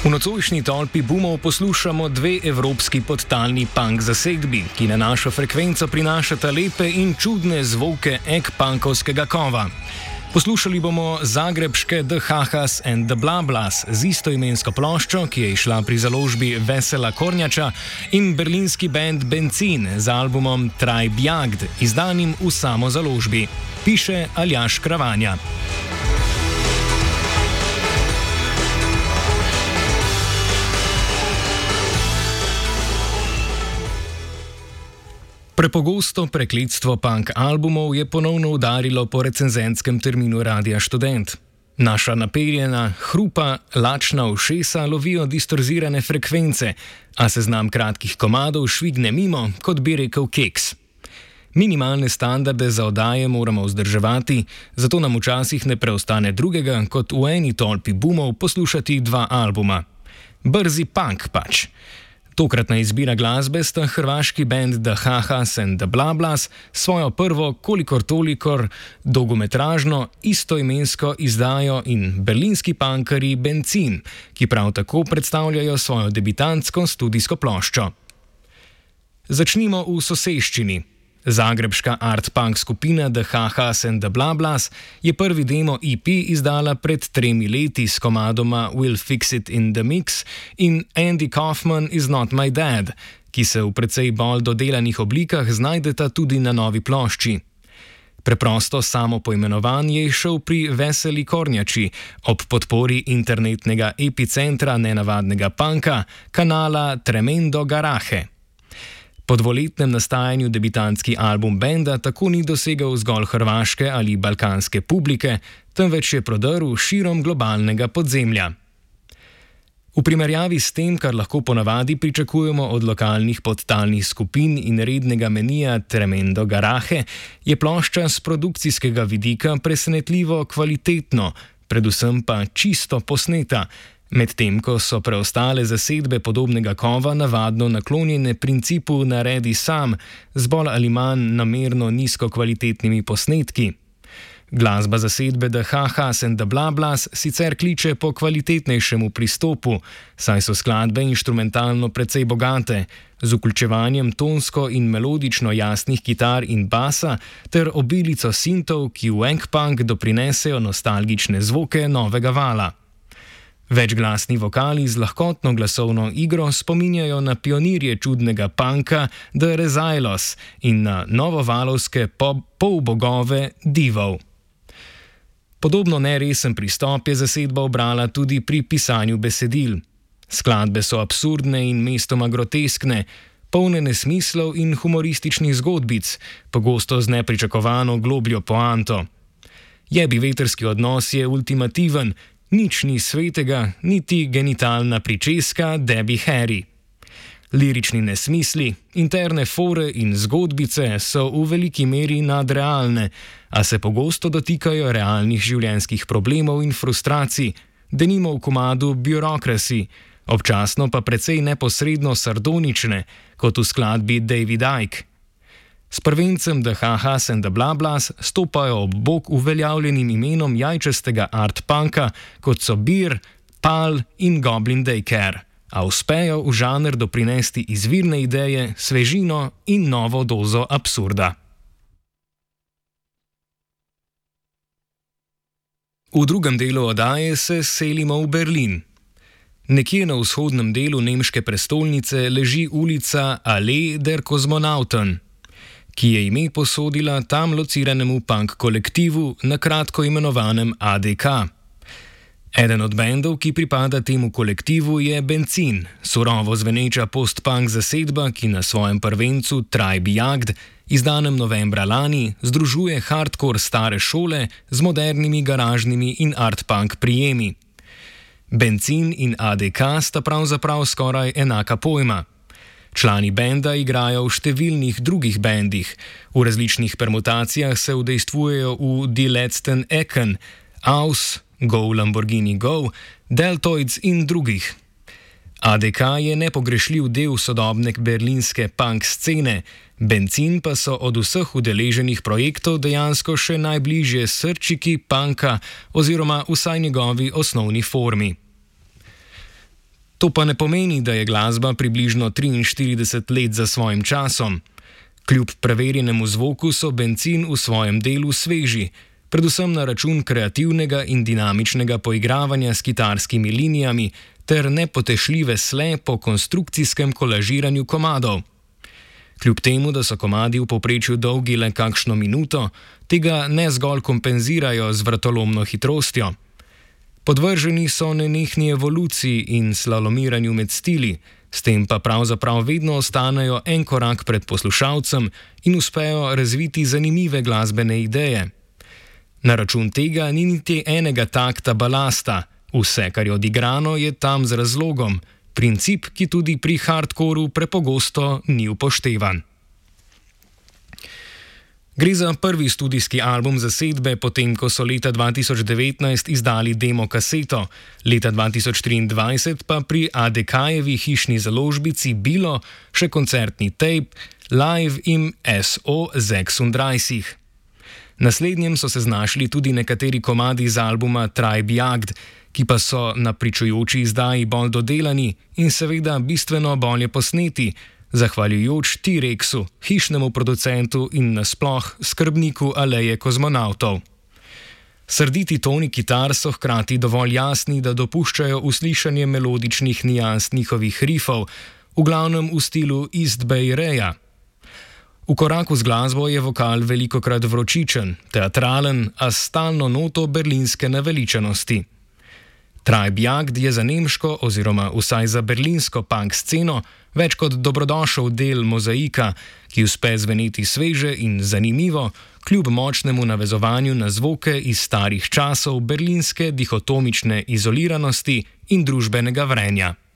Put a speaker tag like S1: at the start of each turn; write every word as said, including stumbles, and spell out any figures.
S1: V nocojšnji tolpi boomov poslušamo dve evropski podtalni punk zasedbi, ki na našo frekvenco prinašata lepe in čudne zvoke ek-punkovskega kova. Poslušali bomo zagrebške The Hahas and the Blablas z istoimensko ploščo, ki je išla pri založbi Vesela Kornjača, in berlinski band Benzin z albumom Tribe Jagd, izdanim v samo založbi. Piše Aljaž Kravanja. Prepogosto prekletstvo punk albumov je ponovno udarilo po recenzentskem terminu Radia Študent. Naša naperjena, hrupa, lačna ušesa lovijo distorzirane frekvence, a seznam kratkih komadov švigne mimo, kot bi rekel Keks. Minimalne standarde za oddaje moramo vzdrževati, zato nam včasih ne preostane drugega, kot v eni tolpi boomov poslušati dva albuma. Brzi punk pač. Tokratna izbira glasbe sta hrvaški band The Hahas and the Blablas svojo prvo kolikor tolikor dolgometražno istoimensko izdajo in berlinski punkerji Benzin, ki prav tako predstavljajo svojo debitantsko studijsko ploščo. Začnimo v soseščini. Zagrebška art-punk skupina The Hahas and the Blablas je prvi demo E P izdala pred tremi leti s komadoma We'll Fix It in the Mix in Andy Kaufman is Not My Dad, ki se v precej bolj dodelanih oblikah znajdeta tudi na novi plošči. Preprosto samo poimenovanje je šel pri Veseli Kornjači ob podpori internetnega epicentra nenavadnega punka, kanala Tremendo Garaje. Po dvoletnem nastajanju debitantski album benda tako ni dosegal zgolj hrvaške ali balkanske publike, temveč je prodrl širom globalnega podzemlja. V primerjavi s tem, kar lahko ponavadi pričakujemo od lokalnih podtalnih skupin in rednega menija Tremendo Garaje, je plošča z produkcijskega vidika presenetljivo kvalitetno, predvsem pa čisto posneta, medtem ko so preostale zasedbe podobnega kova navadno naklonjene principu naredi sam z bolj ali manj namerno nizkokvalitetnimi posnetki. Glasba zasedbe The Hahas and the Blablas sicer kliče po kvalitetnejšemu pristopu, saj so skladbe inštrumentalno precej bogate, z vključevanjem tonsko in melodično jasnih kitar in basa ter obilico sintov, ki v ek-punk doprinesejo nostalgične zvoke novega vala. Večglasni vokali z lahkotno glasovno igro spominjajo na pionirje čudnega punka The Rezailos in na novovalovske polbogove divov. Podobno neresen pristop je zasedba obrala tudi pri pisanju besedil. Skladbe so absurdne in mestoma groteskne, polne nesmislov in humorističnih zgodbic, pogosto z nepričakovano globljo poanto. Jebi vetrski odnos je ultimativen, nič ni svetega, niti genitalna pričeska Debbie Harry. Lirični nesmisli, interne fore in zgodbice so v veliki meri nadrealne, a se pogosto dotikajo realnih življenjskih problemov in frustracij, denimo v komadu Bureaucracy, občasno pa precej neposredno sardonične, kot v skladbi David Icke. S prvencem The Hahas and the Blablas stopajo ob bok uveljavljenim imenom jajčastega art-punka, kot so Beer, Pal in Goblin Daycare, a uspejo v žanr doprinesti izvirne ideje, svežino in novo dozo absurda. V drugem delu oddaje se selimo v Berlin. Nekje na vzhodnem delu nemške prestolnice leži ulica Allee der Kosmonauten, ki je ime posodila tam lociranemu punk kolektivu, na kratko imenovanem A D K. Eden od bendov, ki pripada temu kolektivu, je Benzin, surovo zveneča post-punk zasedba, ki na svojem prvencu Tribe Jagd, izdanem novembra lani, združuje hardcore stare šole z modernimi garažnimi in art-punk prijemi. Benzin in A D K sta pravzaprav skoraj enaka pojma. Člani benda igrajo v številnih drugih bendih, v različnih permutacijah se udejstvujejo v Die Letzten Ecken, Aus, Go Lamborghini Go, Deltoids in drugih. A D K je nepogrešljiv del sodobne berlinske punk scene, Benzin pa so od vseh udeleženih projektov dejansko še najbližje srčiki punka oziroma vsaj njegovi osnovni formi. To pa ne pomeni, da je glasba približno triinštirideset let za svojim časom. Kljub preverjenemu zvoku so Benzin v svojem delu sveži, predvsem na račun kreativnega in dinamičnega poigravanja s kitarskimi linijami ter nepotešljive sle po konstrukcijskem kolažiranju komadov. Kljub temu, da so komadi v povprečju dolgi le kakšno minuto, tega ne zgolj kompenzirajo z vratolomno hitrostjo. Podvrženi so nenehni evoluciji in slalomiranju med stili, s tem pa pravzaprav vedno ostanejo en korak pred poslušalcem in uspejo razviti zanimive glasbene ideje. Na račun tega ni niti enega takta balasta, vse, kar je odigrano, je tam z razlogom, princip, ki tudi pri hardcoru prepogosto ni upoštevan. Gre za prvi studijski album zasedbe, potem ko so leta dva tisoč devetnajst izdali demo kaseto, leta dva tisoč triindvajset pa pri A D K-jevi hišni založbici Bilo še koncertni tape Live im S O šestindvajset. Naslednjem so se znašli tudi nekateri komadi z albuma Tribe Jagd, ki pa so na pričujoči izdaji bolj dodelani in seveda bistveno bolje posneti, zahvaljujoč T-Rexu, hišnemu producentu in nasploh skrbniku aleje kozmonavtov. Srditi toni kitar so hkrati dovolj jasni, da dopuščajo uslišanje melodičnih nijans njihovih rifov, v glavnem v stilu East Bay Raya. V koraku z glasbo je vokal velikokrat vročičen, teatralen, a s stalno noto berlinske naveličanosti. Tribe Jagd je za nemško oziroma vsaj za berlinsko punk sceno več kot dobrodošel del mozaika, ki uspe zveneti sveže in zanimivo, kljub močnemu navezovanju na zvoke iz starih časov berlinske dihotomične izoliranosti in družbenega vrenja.